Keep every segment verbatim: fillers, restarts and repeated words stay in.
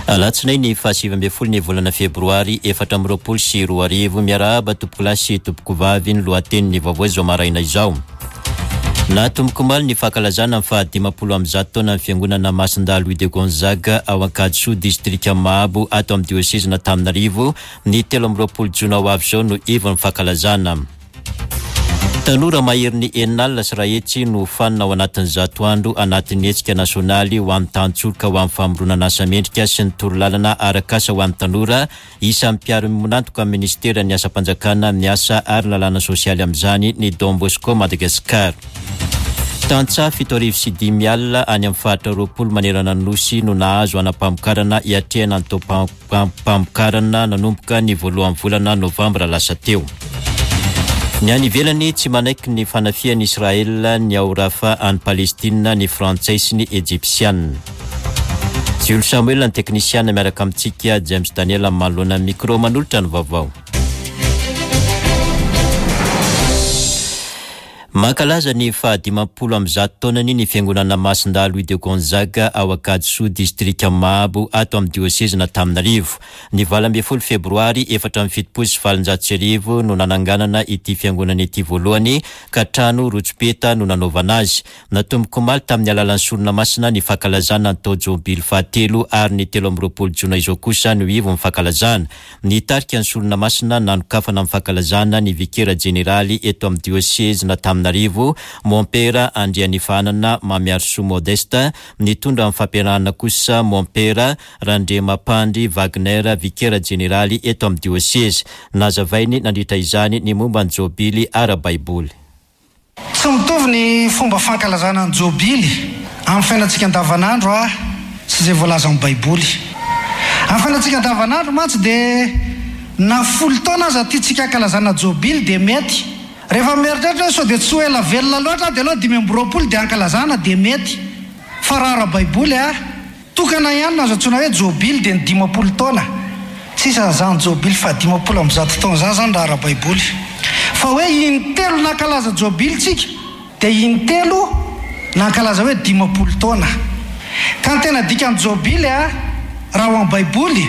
Alatsinainy fahasivy ambin'ny folo ny volana febroary efatra amby roapolo sy roa arivo. Miarahaba tompokolahy sy tompokovavy, ny lohatenin'ny vaovao izao maraina izao. Natomboka omaly ny fankalazana ny fahadimampolo amby zato taona ny fiangonana Masindahy Louis de Gonzague ao Ankadisoa, distrika Mahabo, ato amin'ny diosezin'Antananarivo. Ny telo amby roapolo jona ho avy izao no ivon'ny fankalazana. Tanora maherin'ny enina alina sy iray hetsy no hofanina ao anatin'ny zato andro anatin'ny hetsika nasionaly ho an'ny tantsoroka ho amin'ny famoronana asa mendrika sy ny torolalana arak'asa ho an'ny tanora. Isan'ny mpiara-miombon'antoka amin'ny ministeran'ny asam-panjakana, ny asa ary ny lalàna sosialy amin'izany ny Don Bosco Madagascar. Tantsaha fito arivo sy dimy alina any amin'ny faritra roapolo manerana ny Nosy no nahazo anam-pamokarana hiatrehana ny taom-pamokarana nanomboka ny voalohan'ny volana novambra lasa teo. Ny any ivelany, tsy manaiky ny fanafihan'i Israel ny ao Rafah any Palestina ny Frantsay sy ny Ejipsiana. Jules Samuel ny teknisiana miaraka amintsika, James Daniel manoloana ny micro manolotra ny vaovao. Mankalaza ny fahadimampolo amby zato taonany ny fiangonana Masindahy Louis de Gonzague ao Ankadisoa, distrika Mahabo, ato amin'ny diosezin'Antananarivo. Ny valo ambin'ny folo febroary efatra amby fitopolo sy valonjato sy arivo no nananganana ity fiangonana ity voalohany, ka trano rotsopeta no nanaovana azy. Natomboka omaly tamin'ny alalan'ny sorona masina ny fankalazana ny taon-jobily fahatelo ary ny telo amby roapolo jona izao kosa no ivon'ny fankalazana. Nitarika ny sorona masina nanokafana ny fankalazana ny vikera jeneraly eto amin'ny diosezin'Antananarivo, Mompera Andrianifahanana Mamiarisoa Modeste. Nitondra ny fampiarahana kosa Mompera Randriamampandry Wagner, vikera jeneraly eto amin'ny diosezy. Nazavainy nandritra izany ny momba ny jobily ara-baiboly. Tsy mitovy ny fomba fankalazana ny jobily amin'ny fiainantsika andavanandro a sy izay voalazan'ny Baiboly. Amin'ny fiainantsika andavanandro mantsy dia na folo taona aza tiantsika hankalazana jobily dia mety. Rehefa mieritreritra hoe sao dia tsy ho ela velona loatra dia aleo dimy amby roapolo dia hankalazana dia mety. Fa raha ara-baiboly a, tokana ihany no azo antsoina hoe jobily dia ny dimampolo taona. Tsy isan'izany jobily fahadimampolo amby zato taona izany izany raha ara-baiboly. Fa hoe intelo nankalaza jobily tsika dia intelo nankalaza hoe dimampolo taona. Ka ny tena dikan'ny jobily a, raha ao amin'ny Baiboly,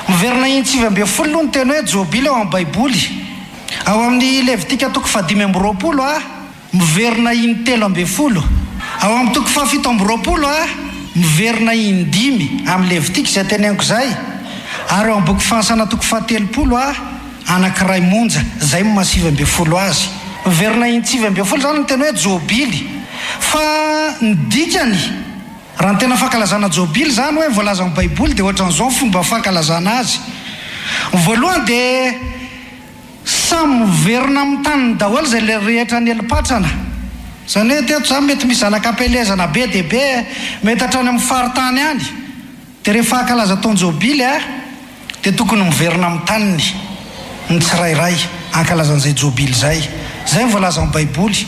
miverina intsivy ambin'ny folo aloha ny teny hoe jobily ao amin'ny Baiboly. Ao amin'ny Levitika toko fahadimy amby roapolo a, miverina intelo ambin'ny folo. Ao amin'ny toko fahafito amby roapolo a, miverina indimy amin'ny Levitika izay teneniko izay. Ary ao amin'ny boky Fahansana toko fahatelopolo a, anankiray monja, izay no maha sivy ambin'ny folo azy. Miverina intsivy ambin'ny folo izany ny teny hoe jobily. Fa ny dikany, raha ny tena fankalazana jobily izany hoe voalazan'ny Baiboly dia ohatran'izao ny fomba fankalazana azy. Ny voalohany dia samy miverina amin'ny taniny daholo izay rehetra nieli-patrana. Izany hoe teto izany mety misy zanak'ampielezana be dia be, mety hatrany amin'ny faritany any. Dia rehefa hankalaza taon-jobily a, dia tokony miverina amin'ny taniny ny tsirairay hankalaza an'izay jobily izay. Izay no voalazan'ny Baiboly.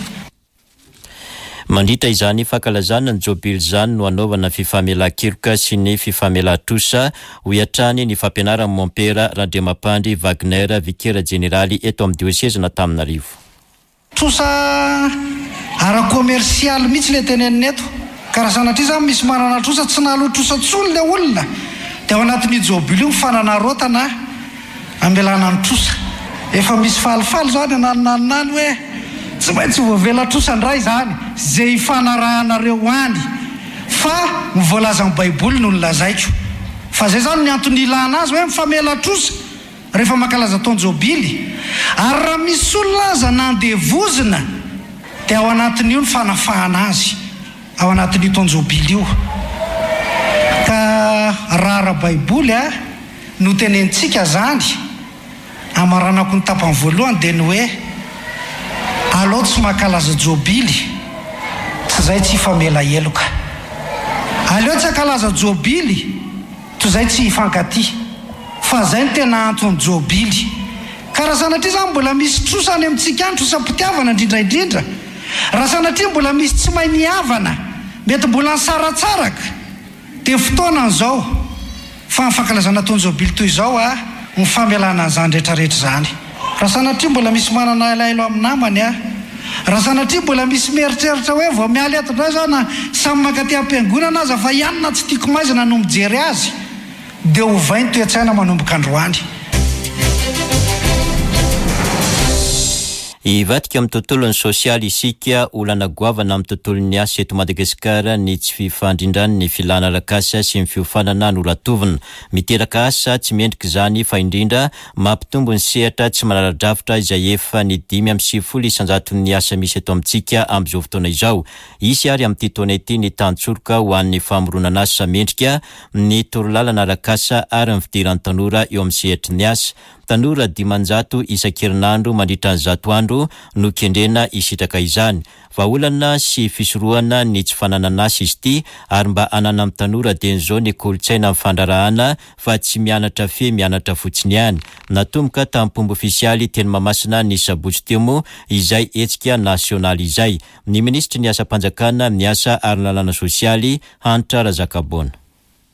Mandritra izany fankalazana ny jobily izany no hanaovana fifamelan-keloka sy ny fifamelan-trosa, hoy hatrany ny fampianaran'ny Mompera Randriamampandry Wagner, vikera jeneraly eto amin'ny diosezin'Antananarivo. Trosa ara-komersialy mihitsy ilay tenenina eto. Ka raha sanatria izany misy manana trosa, tsy nahaloa trosa intsony ilay olona, dia ao anatin'io jobily io ny fananarotana hamelana ny trosa. Efa misy falifaly izao any ananonanona any hoe tsy maintsy voavela trosa indray izany izay ifanarahanareo any. Fa ny voalazan'ny Baiboly no nolazaiko. Fa izay izany ny antony ilana azy hoe mifamela trosa. Rehefa mankalaza taon-jobily, ary raha misy olona aza nandevozina, dia ao anatin'io ny fanafahana azy, ao anatin'io taon-jobily io. Ka raha ara-baiboly no tenenintsika izany, amaranako ny tapany voalohany dia ny hoe, alao tsy mankalaza jobily, tsy izay tsy hifamela heloka. Aleo tsy hankalaza jobily. Toy izay tsy hifankatia. Fa zay no tena antony jobily. Ka raha sanatria zany mbola misy trosa any amintsika any, trosam-pitiavana indrindra indrindra, raha sanatria mbola misy tsy mahay mihavana, mety mbola nisaratsaraka, dia fotoanany izao fa ny fankalazana taon-jobily toy izao a, ny famelana an'izany rehetra rehetra izany. Raha sanatria mbola misy manana alaelo amin'ny namany a, raha sanatria mbola misy mieritreritra hoe vao miala eto indray za na samy mankaty am-piangonana aza fa i anona tsy tiako maizina no mijery azy, Dia ovay ny toe-tsaina manomboka androany. Hivadika amin'ny tontolon'ny sosialy isika. Olana goavana amin'ny tontolon'ny asa eto Madagasikara ny tsy fifandrindran'ny filana arak'asa sy ny fiofanana noratovina. Miteraka asa tsy mendrika izany, fa indrindra mampitombo ny sehatra tsy manara-drafitra izay efa ny dimy amby sivifolo isan-jaton'ny asa misy eto amintsika amin'izao fotoana izao. Hisy ary amin'ity taona ity ny tantsoroka ho an'ny famoronana asa mendrika, ny torolalana arak'asa ary ny fidiran'ny tanora eo amin'ny sehatry ny asa. Tanora dimanjato isan-kerinandro mandritra ny zato andro no kendrena hisitraka izany. Vahaolana sy fisorohana ny tsy fananana asa izy ity, ary mba hananan'ny tanora dieny izao ny kolontsaina amin'ny fandraharahana fa tsy mianatra fe mianatra fotsiny ihany. Natomboka tamin'ny ofisialy teny Mahamasina ny sabotsy teo moa izay hetsika nasionaly izay. Ny minisitry ny asam-panjakana, ny asa ary ny lalàna sosialy, Hanitra Razakaboana.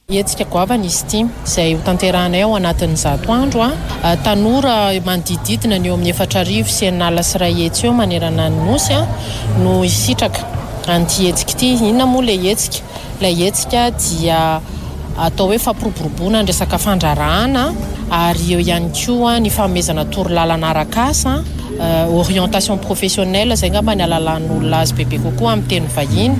Hetsika goavana izy ity izay ho tanterahanay ao anatin'ny zato andro. A tanora manodididina ny eo amin'ny efatra arivo sy enina alina sy iray hetsy eo manerana ny nosy a no hisitraka an'ity hetsika ity. Inona moa ilay hetsika? Ilay hetsika dia atao hoe fampiroboroboana ny resaka fandraharahana, ary eo ihany koa ny fanomezana torolalana arak'asa, orientation professionnelle izay angamba ny ahalalan'olona azy bebe kokoa amin'ny teny vahiny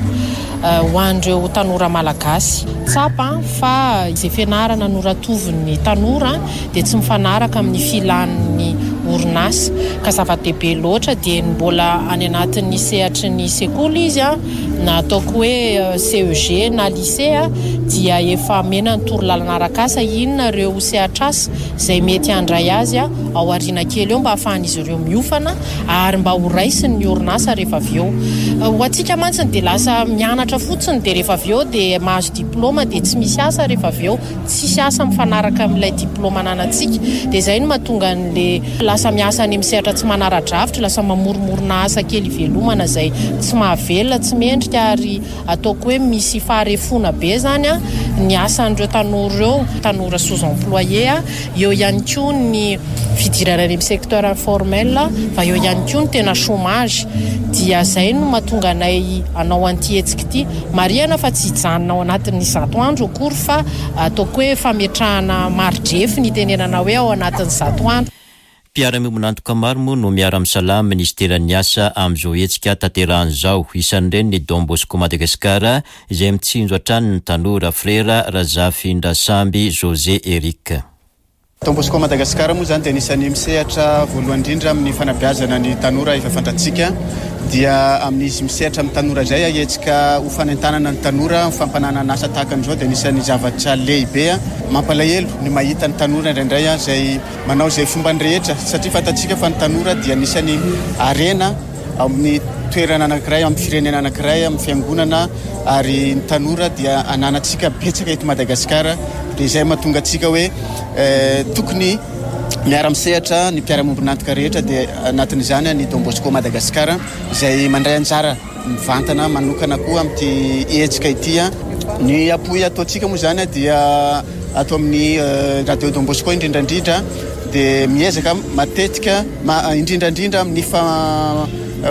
ho an'ireo tanora malagasy. Tsapa fa izay fianarana noratovin'ny tanora dia tsy mifanaraka amin'ny filan'ny orinasa, ka zava-dehibe loatra dia ny mbola any anatin'ny sehatry ny sekoly izy a, na ataoko hoe C E G na lycée a, dia efa omena ny torolalana arak'asa inona ireo sehatr'asa izay mety handray azy a ao aoriana kely eo mba hahafahan'izy ireo miofana ary mba ho raisiny ny orinasa rehefa avy eo. Ho antsika mantsy dia lasa mianatra fotsiny dia rehefa avy eo dia mahazo diplôma dia tsy misy asa rehefa avy eo, tsisy asa mifanaraka amin'ilay diplôma ananantsika. Dia izay no mahatonga an'le lasa miasa any amin'ny sehatra tsy manara-drafitra, lasa mamoromorona asa kely ivelomana izay tsy mahavelona, tsy mendrika, ary ataoko hoe misy faharefoana be zany a ny asan'ireo tanora ireo, tanora sous-employé a, eo ihany koa ny fidirana any amin'ny secteur informel, fa eo ihany koa ny tena chômage. Dia izay no mahatonga anay hanao an'ity hetsika ity. Marihana fa tsy hijanona ao anatin'ny zato andro akory, fa ataoko hoe fametrahana mari-drefy ny itenenana hoe ao anatin'ny zato andro. Mpiara-miombon'antoka maro moa no miara-misalahy amin'ny ministeran'ny asa amin'izao hetsika tanterahana izao. Isan'ireny ny Don Bosco Madagasikara izay mitsinjo hatrany ny tanora. Frera Razafindrasamby José Eric. Don Bosco Madagasikara moa zany dia anisan'ny misehatra voalohany indrindra amin'ny fanabeazana ny tanora efa fantatsika. Dia amin'izy misehatra amin'ny tanora izay, hetsika ho fanentanana ny tanora, fampananana asa tahaka an'izao dia anisan'ny zavatra lehibe. Mampalahelo ny mahita ny tanora indraindray izay manao izay fombany rehetra, satria fantatsika fa ny tanora dia anisan'ny arena amin'ny toerana anankiray, amin'ny firenena anankiray, amin'ny fiangonana, ary ny tanora dia ananantsika betsaka eto Madagasikara. Dia izay mahatonga antsika hoe tokony miara-misehatra ny mpiara-miombon'antoka rehetra, dia anatin'izany ny Don Bosco Madagasikara izay mandray anjara mivantana manokana koa amin'ity hetsika ity. Ny appui ataontsika moa zany dia ato amin'ny Radio Don Bosco indrindrandrindra, dia miezaka matetika indrindrandrindra amin'ny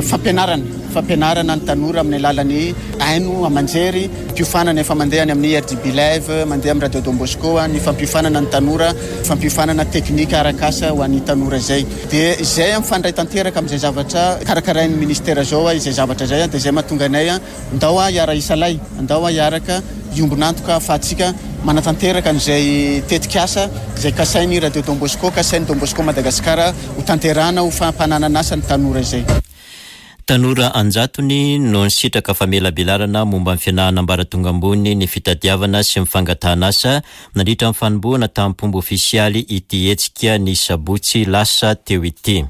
fampianarana, fampianarana ny tanora amin'ny alalan'ny haino aman-jery, fampiofanana efa mandeha any amin'ny R D B Live, mandeha amin'ny Radio Don Bosco, ny fampiofanana ny tanora, fampiofanana teknika arak'asa ho an'ny tanora izay. Dia izay mifandray tanteraka amin'izay zavatra karakarain'ny ministera izao, izay zavatra izay, dia izay mahatonga anay ndao hiara-hisalahy, ndao hiaraka hiombon'antoka ahafahantsika manatanteraka an'izay tetikasa izay kasain'ny Radio Don Bosco, kasain'ny Don Bosco Madagasikara ho tanterahana ho fampananana asa ny tanora izay. Tanora anjatony no nisitraka famelabelarana momba ny fianarana ambaratonga ambony, ny fitadiavana sy ny fangatahana asa nandritra ny fanombohana tamin'ny ofisialy ity hetsika ny sabotsy lasa teo ity.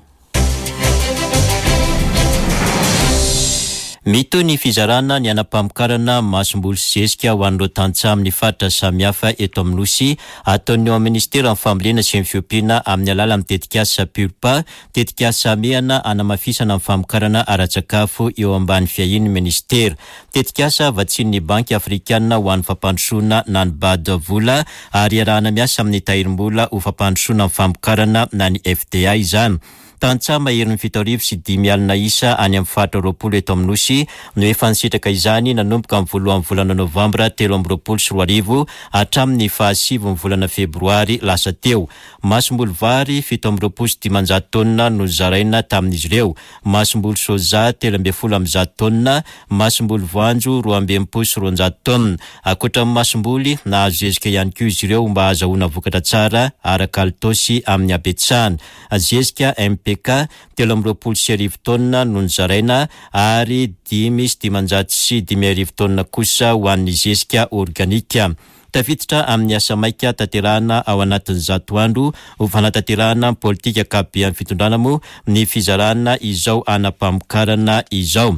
Mitohy ny fizarana ny anam-pamokarana masomboly sy zezika ho an'ireo tantsaha amin'ny faritra samihafa eto amin'ny Nosy, ataon'ny eo amin'ny ministeran'ny fambolena sy ny fiompiana amin'ny alalan'ny tetikasa Purpa, tetikasa mehana hanamafisana ny famokarana ara-tsakafo eo ambany fiahian'ny ministera. Tetikasa vatsian'ny Banky Afrikanina ho an'ny fampandrosoana na ny B A D vola, ary iarahana miasa amin'ny tahirim-bola ho fampandrosoana ny famokarana na ny F D A izany. Tantsaha maherin'ny fito arivo sy dimy alina isa any amin'ny faritra roapolo eto amin'ny Nosy no efa nisitraka izany nanomboka amin'ny voalohan'ny volana novambra telo amby roapolo sy roa arivo hatramin'ny fahasivy ny volana febroary lasa teo. Masomboly vary fito amby roapolo sy dimanjato taonina no zaraina tamin'izy ireo, masomboly soja telo ambin'ny folo amby zato taonina, masomboly voanjo roa amby enimpolo sy roanjato taonina. Ankoatra ny masomboly, nahazo zezika ihany koa izy ireo mba hahazoana vokatra tsara ara-kalitao sy amin'ny habetsahana. Zezika M P K telo amby roapolo sy arivo taonina no nozaraina ary dimy sy dimanjato sy dimy arivo taonina kosa ho an'ny zezika organika. Tafiditra amin'ny asa maika tanterahana ao anatin'ny zato andro ho fanatanterahana ny politika ankapoben'ny fitondrana moa ny fizarana izao anam-pamokarana izao.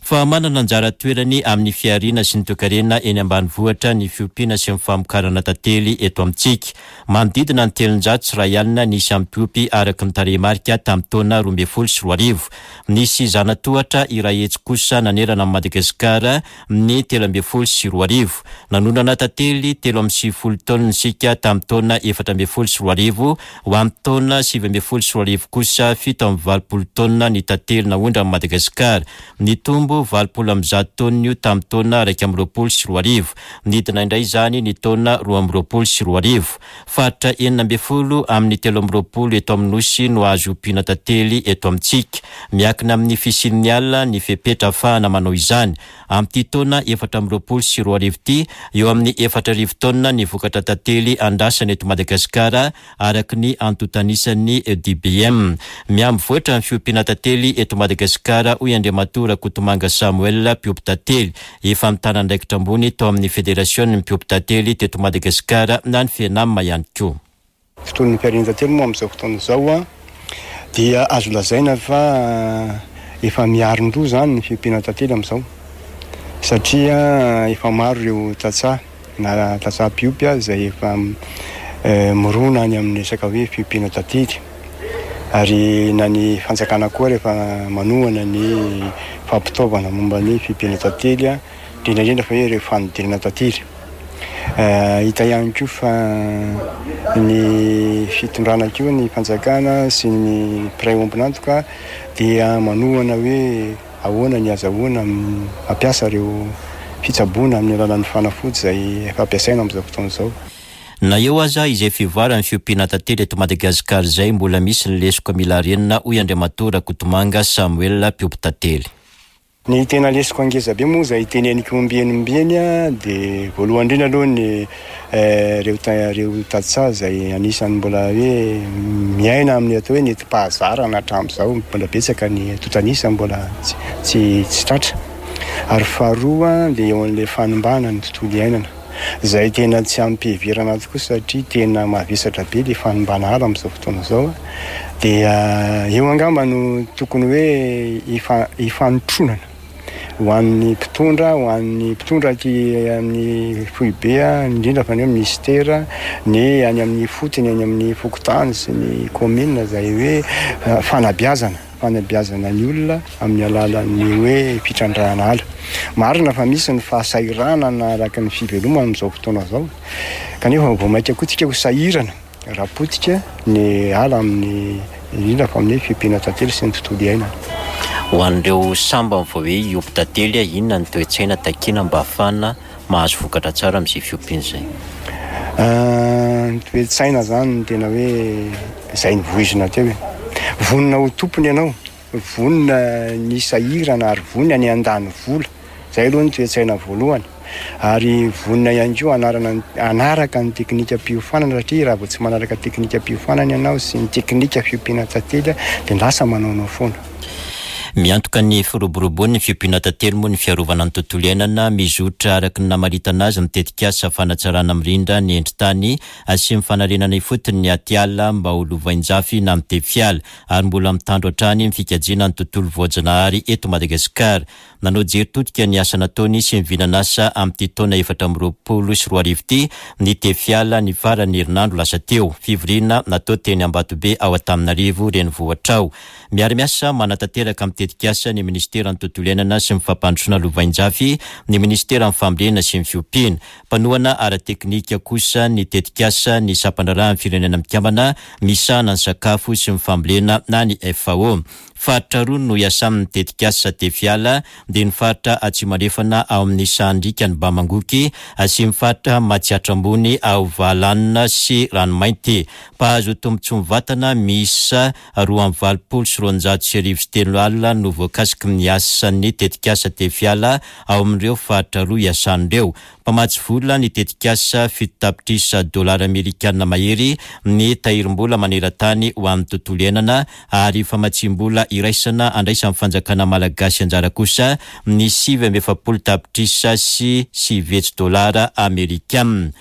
Fa manana anjara toerany amin'ny fihariana sy ny toekarena eny ambanivohitra ny fiompiana sy ny famokarana tantely eto amintsika. Manodidina ny telonjato sy iray alina ny isan'ny mpiompy araka ny tarehimarika tamin'ny taona roa ambin'ny folo sy roa arivo. Nisy zanatohatra iray hetsy kosa nanerana an'i Madagasikara ny telo ambin'ny folo sy roa arivo. Nanondrana tantely telo amby sivifolo taonina isika tamin'ny taona efatra ambin'ny folo sy roa arivo, ho amin'ny taona sivy ambin'ny folo sy roa arivo kosa fito amby valopolo taonina ny tantely naondran'i Madagasikara. Nitombo valopolo amby zato taonina io tamin'ny taona iraika amby roapolo sy roa arivo. Nidina indray izany ny taona roa amby roapolo sy roa arivo. Faritra enina ambin'ny folo amin'ny telo amby roapolo eto amin'ny Nosy no azo ompiana tantely eto amintsika. Miankina amin'ny fisian'ny ala ny fepetra ahafahana manao izany. Amin'ity taona efatra amby roapolo sy roa arivo ity, eo amin'ny efatra arivo taonina ny vokatra tantely andrasana eto Madagasikara araka ny antontanisan'ny D B M. Miha-mivoatra ny fiompiana tantely eto Madagasikara, hoy Andriamatoa Rakotomanga Samuel, mpiompy tantely. Efa mitana andraikitra ambony tao amin'ny federasion'ny mpiompy tantely teto Madagasikara na ny FENAM ihany koa. Fotoan'ny fihariana tantely moa amin'izao fotoana izao a, dia azo lazaina fa efa miarin-doha izany ny fiompiana tantely amin'izao, satria efa maro ireo tantsaha na tantsaha mpiompy izay efa mirona any amin'ny resaka hoe fiompiana tantely, ary na ny fanjakana koa rehefa manohana ny fampitaovana momba ny fiompiana tantely, indrindra indrindra fa hoe ireo fanodinana tantely. Hita ihany koa fa ny fitondrana koa, ny fanjakana sy ny mpiray ombon'antoka dia manohana hoe ahoana ny azahoana mampiasa ireo fitsaboana amin'ny alalan'ny fanafody izay efa ampiasaina amin'izao fotoana izao. Na eo aza izay fivoaran'ny fiompiana tantely eto Madagasikara izay, mbola misy ny lesoka mila arenina, hoy Andriamatoa Rakotomanga Samuel, mpiompy tantely. Ny tena lesoka ngeza be moa izay teneniko ombieny ombieny a, dia voalohany indrindra aloha ny, eh, ireo ta-, ireo tantsaha izay anisan'ny mbola hoe miaina amin'ny atao hoe nentim-pahazarana hatramin'izao, mbola betsaka ny antontanisa mbola tsy, tsy, tsy tratra. Ary faharoa dia eo amin'ilay fanimbana ny tontolo iainana, izay tena tsy ampiheverana tokoa satria tena mavesatra be ilay fanimbana ala amin'izao fotoana izao. Dia eo angamba no tokony hoe ifa-, ifanotronana ho an'ny mpitondra, ho an'ny mpitondra aty amin'ny foibe, indrindra fa ny hoe ministera, ny any amin'ny fotony, any amin'ny fokontany sy ny commune, izay hoe fanabeazana, fanabeazana ny olona amin'ny alalan'ny hoe fitrandrahana ala. Marina fa misy ny fahasahiranana araka ny fivelomana amin'izao fotoana izao, kanefa vao mainka koa tsika ho sahirana raha potika ny ala amin'ny, indrindra fa amin'ny fiompiana tantely sy ny tontolo iainana. Ho an'ireo sambany vao hoe hiompy tantely, inona ny toe-tsaina takiana mba ahafahana mahazo vokatra tsara amin'izay fiompiana izay? Ah, ny toe-tsaina izany no tena hoe izay nivoizina teo e. Vonona ho tompony ianao, vonona ny sahirana ary vonona ny handany vola. Izay aloha ny toe-tsaina voalohany. Ary vonona ihany koa hanarana ny, hanaraka ny teknikam-piofanana, satria raha vao tsy manaraka teknikam-piofanana ianao sy ny teknika fiompiana tantely dia lasa manaonao foana. Miantoka ny firoborobon'ny fiompiana tantely moa ny fiarovana ny tontolo iainana. Mizotra araka ny namaritana azy ny tetikasa fanatsarana mirindra ny endri-tany sy ny fanarenana ifotony ny atiala mba ho lovain-jafy na mitefiala, ary mbola mitandro hatrany ny fikajiana ny tontolo voajanahary eto Madagasikara. Nanao jery todika ny asa nataony sy ny vinan'asa amin'ity taona efatra amby roapolo sy roa arivo ity ny tefiala ny faran'ny herinandro lasa teo. Fivoriana natao teny Ambatobe ao Antananarivo renivohitra ao. Miara-miasa manatanteraka amin'ny tetikasa ny ministeran'ny tontolo iainana sy ny fampandrosoana lovainjafy, ny ministeran'ny fambolena sy ny fiompiana. Mpanohana ara-teknika kosa ny tetikasa ny sampandraharahan'ny Firenena Mikambana misahana ny sakafo sy ny fambolena na ny F A O. Faritra roa no iasan'ny tetikasa Tefiala, dia ny faritra Atsimo Andrefana ao amin'ny Sahandriaka ny Bamangoky sy ny faritra Matsiatra Ambony ao Valanina sy Ranomainty. Mpahazo tombontsoa mivantana miisa roa amby valopolo sy roanjato sy arivo sy telo alina no voakasiky ny asan'ny tetikasa Tefiala ao amin'ireo faritra roa iasan'ireo. Mpamatsy vola ny tetikasa fito tapitrisa dolara amerikana mahery ny tahirim-bola maneran-tany ho an'ny tontolo iainana ary famatsiam-bola iraisana andraisan'ny fanjakana malagasy anjara kosa ny sivy amby efapolo tapitrisa sy sivy hetsy dolara amerikana.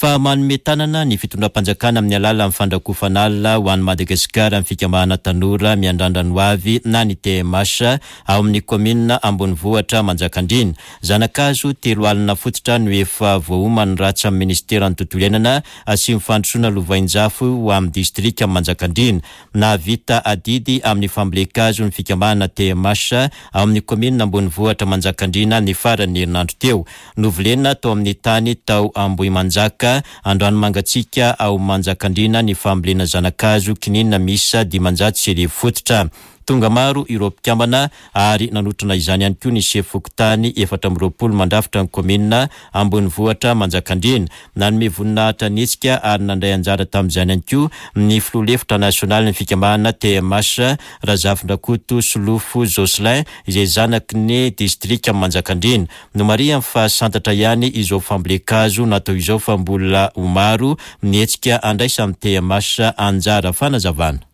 Fa manome tanana ny fitondram-panjakana amin'ny alalan'ny fandrakofana ala ho an'i Madagasikara ny fikambanana tanora miandrandra ny ho avy na ny T M H ao amin'ny kaominina ambonivohitra Manjakandriana. Zanakazo telo alina fototra no efa voaoman'ny ratsa amin'ny ministeran'ny tontolo iainana sy ny fandrosoana lovainjafy ho amin'ny distrika Manjakandriana. Nahavita adidy amin'ny fambolen-kazo ny fikambanana T M H ao amin'ny kaominina ambonivohitra Manjakandriana ny faran'ny herinandro teo. Novolena tao amin'ny tany tao Ambohimanjaka Andranomangatsiaka ao Manjakandriana ny fambolena zanakazo kininina miisa dimanjato sy arivo fototra. Tonga maro ireo mpikambana ary nanotrona izany ihany koa ny sefo fokontany efatra amby roapolo mandrafitra ny kaominina ambonivohitra Manjakandriana. Nanome voninahitra ny hetsika ary nandray anjara tamin'izany ihany koa ny filoha lefitra nasionaly ny fikambanana T M H Razafindrakoto Solofo Jocelyn izay zanaky ny distrika Manjakandriana. Nomarihany fa santatra ihany izao fambolen-kazo natao izao fa mbola ho maro ny hetsika andraisan'ny T M H anjara fanazavana.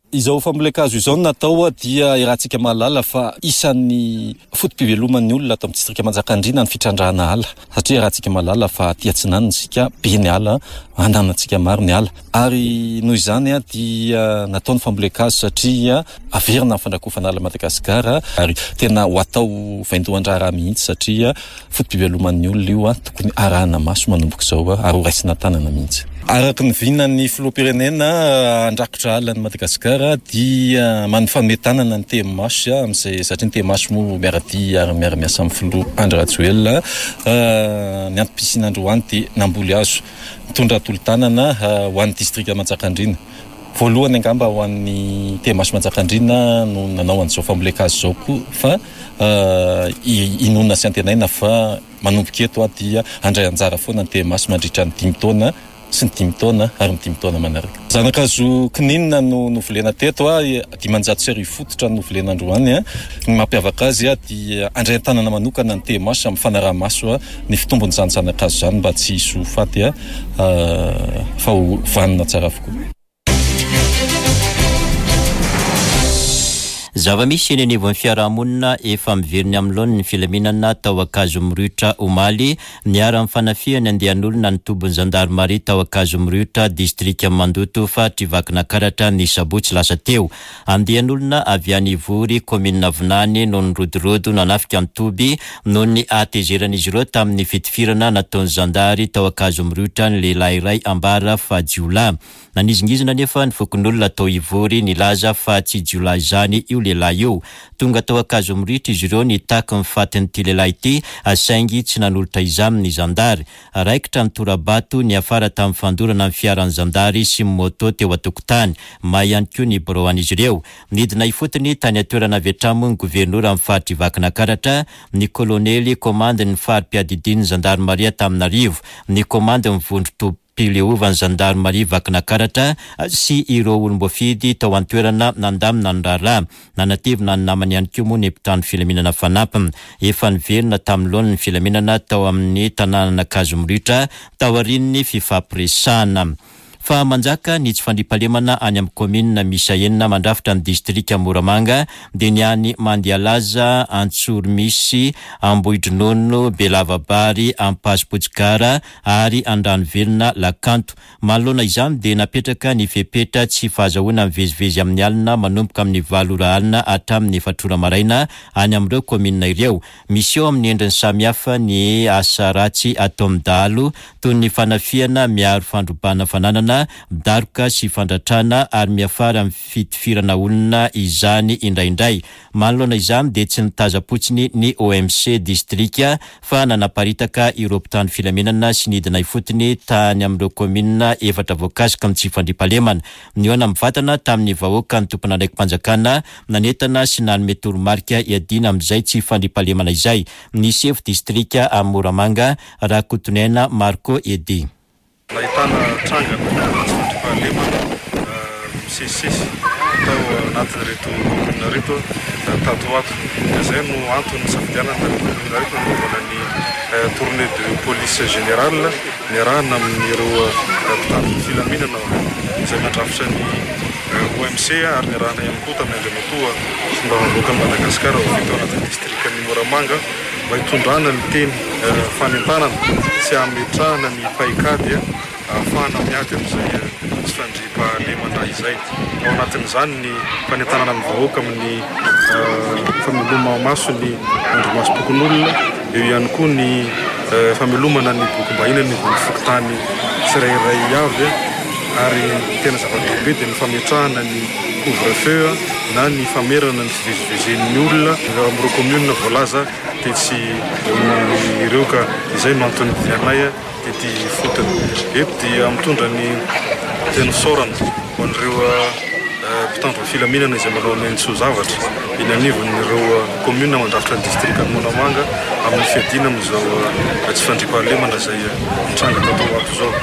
Izao fambolen-kazo izao no natao dia iarahantsika mahalala fa isan'ny foto-piveloman'ny olona ato amin'ny distrika Manjakandriana ny fitrandrahana ala, satria iarahantsika mahalala fa aty atsinanana isika be ny ala, ananantsika maro ny ala, ary noho izany dia natao ny fambolen-kazo satria averina ny fandrakofana ala Madagasikara ary tena ho atao vaindohan-draharaha mihitsy satria foto-piveloman'ny olona io, tokony arahana maso manomboka izao ary ho raisina tanana mihitsy. Araka ny vinan'ny filoham-pirenena handrakotra ala ny Madagasikara dia manome tanana ny T M H amin'izay, satria ny T M H moa miara-dia ary miara-miasa amin'ny filoha Andry Rajoelina. Ny antom-pisiana androany dia namboly hazo mitondra tolo-tanana ho an'ny distrika Manjakandriana. Voalohany angamba ho an'ny T M H Manjakandriana no nanao an'izao fambolen-kazo izao koa, fa inoana sy antenaina fa manomboka eto dia handray anjara foana ny T M H mandritra ny dimy taona sy ny dimy taona ary ny dimy taona manaraka. Zanakazo kininina no novolena teto, dimanjato sy arivo fototra no novolena androany. Ny mampiavaka azy dia handray an-tanana manokana ny T M H amin'ny fanaraha-maso ny fitombon'izany zanakazo izany mba tsy hisy ho faty fa ho vanona tsara avokoa. Zava-misy eny anivon'ny fiarahamonina efa miverina amin'ny laoniny ny filaminana tao Ankazomiriotra omaly. Niharan'ny fanafihana andian'olona ny tobin'ny zandarmaria tao Ankazomiriotra, distrika Mandoto, faritry Vakinankaratra ny sabotsy lasa teo. Andian'olona avy any Ivory, kaominina Vinany, no nirodorodo nanafika ny toby noho ny hatezeran'izy ireo tamin'ny fitifirana nataon'ny zandary tao Ankazomiriotra ny lehilahy iray ambara fa jiolahy. Nanizingizina anefa ny fokonolona tao Ivory nilaza fa tsy jiolahy izany io lehilahy io. Tonga tao Ankazomiriotra izy ireo nitaky ny fatin'ity lehilahy ity, saingy tsy nanolotra izany ny zandary. Raikitra ny tora-bato niafara tamin'ny fandorana ny fiaran'ny zandary sy ny moto teo an-tokotany. May ihany koa ny birao an'izy ireo. Nidina ifotony tany an-toerana avy hatrany moa ny governora amin'ny faritry Vakinankaratra, ny kolonely komandin'ny fari-piadidian'ny zandarmaria Antananarivo, ny komandin'ny vondron-tobim-pileovan'ny zandarmaria Vakinankaratra sy ireo olom-boafidy tao an-toerana nandamina ny raharaha. Nanatevina ny namany ihany koa moa ny mpitandro filaminana fanampiny. Efa niverina tamin'ny laoniny ny filaminana tao amin'ny tanànan'Ankazomiriotra taorian'ny fifampiresahana. Fa manjaka ny tsy fandriampahalemana any amin'ny kaominina miisa enina mandrafitra ny distrika Moramanga, dia ny any Mandialaza, Antsoromisy, Ambohidronono, Belavabary, Ampasipotsikara ary Andranovelona Lakanto. Manoloana izany dia napetraka ny fepetra tsy fahazahoana mivezivezy amin'ny alina manomboka amin'ny valo ora alina hatramin'ny efatra ora maraina any amin'ireo kaominina ireo. Misy eo amin'ny endriny samihafa ny asa ratsy ataon'ny dahalo toy ny fanafihana miaro fandrobana fananana fanendahana, daroka sy fandratrana ary miafara amin'ny fitifirana olona izany indraindray. Manoloana izany dia tsy nitazam-potsiny ny O M C distrika fa nanaparitaka ireo mpitandro filaminana sy nidina ifotony tany amin'ireo kaominina efatra voakasika amin'ny tsy fandriampahalemana. Nihaona mivantana tamin'ny vahoaka ny tompon'andraiki-panjakana, nanentana sy nanome toromarika iadiana amin'izay tsy fandriampahalemana izay. Ny sefo distrika amin'ny Moramanga, Rakotonaina Marco Edi. Nahitana trangana tsy fandriampahalemana misesisesy tao anatin'ireto kaominina reto tato ato, ka zay no antony nisafidianana ny kaominina reto nanaovana ny tournée de police générale niarahana amin'ireo mpitandro ny filaminana izay mandrafitra ny O M C, ary niarahana ihany koa tamin'ny andriamatoa solombavambahoakan'i Madagasikara voafidy tao anatin'ny distrikan'ny Moramanga, mba hitondrana ny teny fanentanana sy hametrahana ny paikady ahafahana miady amin'izay tsy fandriampahalemana izay. Ao anatin'izany ny fanentanana ny vahoaka amin'ny fameloma-maso ny andrimasom-pokonolona, eo ihany koa ny famelomana ny bokim-bahiny ny fokontany tsirairay avy, ary tena zava-dehibe dia ny fametrahana ny couvre-feu na ny famerana ny fivezivezen'ny olona amin'ireo commune voalaza tetsy ireo. Ka izay no antony dianay tety fotony eto, dia mitondra ny teny fisaorana ho an'ireo mpitandro ny filaminana izay manao ny soa zavatra eny anivon'ireo commune mandrafitra ny distrika Moramanga amin'ny fiadiana amin'izao tsy fandriampahalemana izay mitranga tato ato izao.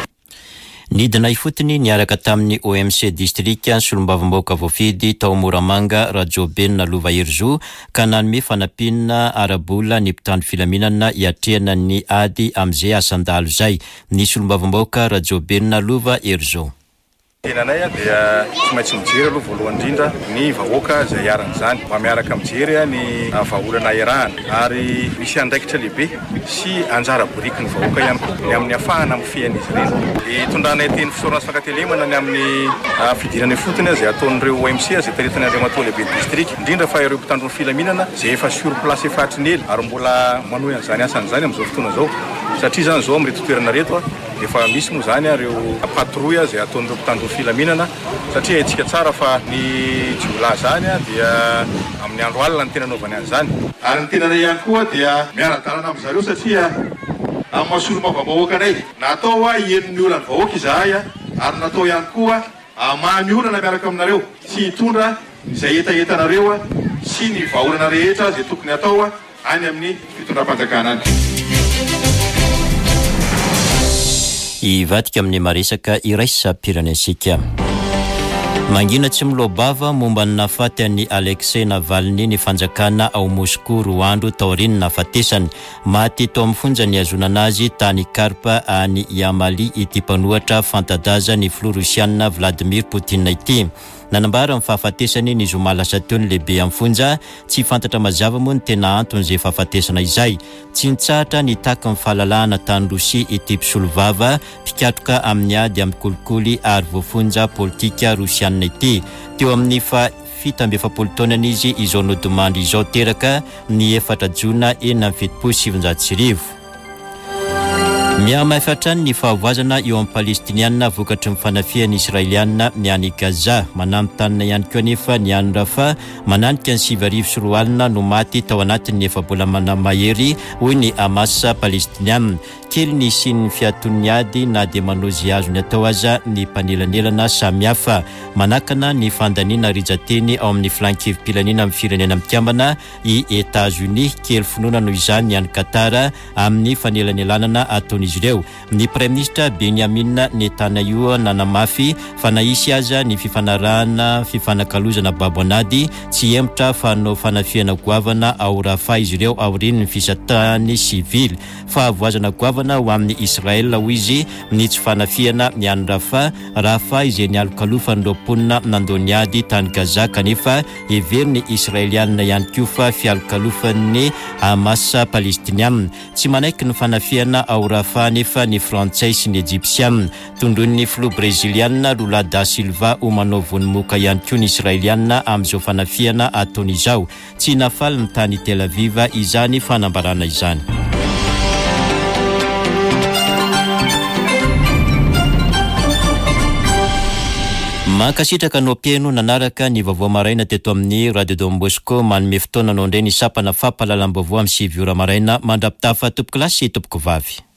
Nidina ifotony niaraka tamin'ny O M C distrika solombavambahoaka voafidy tao Moramanga, Rajobenina Lova Herizo, ka nanome fanampiana ara-bola ny mpitandro filaminana hiatrehana ny ady amin'izay asan-dahalo izay. Ny solombavambahoaka Rajobenina Lova Herizo. Tenanay a dia tsy maintsy mijery aloha voalohany indrindra ny vahoaka izay iharan'izany, mba miaraka mijery a ny vahaolana iarahana, ary misy andraikitra lehibe sy anjara boriky ny vahoaka ihany koa ny amin'ny afahana mifehan'izy ireny. Hitondranay teny fisaorana sy fankatelemana ny amin'ny fidirana ifotony izay ataon'ireo O M C izay taritin'ny andriamatoa lehibe district, indrindra fa ireo mpitandro ny filaminana izay efa sur place efa hatry ny ela ary mbola manohy an'izany asan'izany amin'izao fotoana izao, satria zany zao amin'reto toerana reto a efa misy moa zany a reo patrouille izay ataon'ireo mpitandro ny filaminana, satria haintsika tsara fa ny jiolahy zany a dia amin'ny andro alina ny tena anaovany an'izany. Ary ny tenanay ihany koa dia miara-dalana amin'zareo, satria amin'ny maha solombavambahoaka anay, natao a hihaino ny olan'ny vahoaka izahay a ary natao ihany koa hamaha ny olana miaraka aminareo sy hitondra izay hetahetanareo a sy ny vahaolana rehetra zay tokony atao a any amin'ny fitondram-panjakana any. Hivadika amin'ny maresaka iraisam-pirenena. Mangina tsy miloa-bava momba ny nahafaty an'i Alexei Navalny ny fanjakana ao Moscou, roa andro taorian'ny nahafatesany. Maty tao amin'ny fonja nihazonana azy tany Kharp any Yamal ity mpanohitra fanta-daza ny filoha rosianina Vladimir Poutine ity. Nanambara ny fahafatesany ny zoma lasa teo ny lehibe amin'ny fonja. Tsy fantatra mazava moa ny tena anton'izay fahafatesana izay. Tsy nitsahatra nitaky ny fahalalahana tany Rosia ity mpisolovava, mpikatroka amin'ny ady amin'ny kolikoly ary voafonja politika rosianina ity. Teo amin'ny fa fito amby efapolo taonana izy izao nodimandry izao, teraka ny efatra jona enina amby fitopolo sivinjato sy arivo. Mihamafy hatrany ny fahavoazana eo amin'ny palestinianina vokatry ny fanafihan'ny israelianina ny any Gaza. Mananontanona ihany koa nefa ny any Rafa. Mananika ny sivy arivo sy roa alina no maty tao anatin'ny efa-bolana mahery, hoy ny Hamas palestinianina. Kely ny fisian'ny fiaton'ny ady na dia manao izay azony atao aza ny mpanelanelana samihafa. Manakana ny fandaniana rijan-teny ao amin'ny filan-kevi-pirenena amin'ny Firenena Mikambana i États-Unis. Kely finoana noho izany ny any Qatar amin'ny fanelanelanana ataon'izy ireo. Ny praiminisitra Benjamin Netanyahu nanamafy fa na hisy aza ny fifanarahana fifanakalozana babo an'ady, tsy hemotra fa hanao fanafihana goavana ao Rafa izy ireo aorian'ny fisatahany sivily. Fahavoazana goavana ho amin'ny Israel, hoy izy, ny tsy fanafihana ny any Rafa. Rafa izay nialokalofan'ireo mponina nandao ny ady tany Gaza, kanefa heverin'ny israelianina ihany koa fa fialokalofan'ny Hamas palestinianina. Tsy manaiky ny fanafihana ao Rafa nefa ny frantsay sy ny ejipsianina. Tondroin'ny filoha brezilianina Lula da Silva ho manao vonomoka ihany koa ny israelianina amin'izao fanafihana ataony izao. Tsy nahafaly ny tany Tel Aviv izany fanambarana izany. Mankasitraka anao mpihaino nanaraka ny vaovao maraina teto amin'ny Radio Don Bosco. Manome fotoana anao indray ny sampana fampahalalam-baovao amin'ny sivy ora maraina. Mandra-pitafa, tompoko lahy sy tompoko vavy.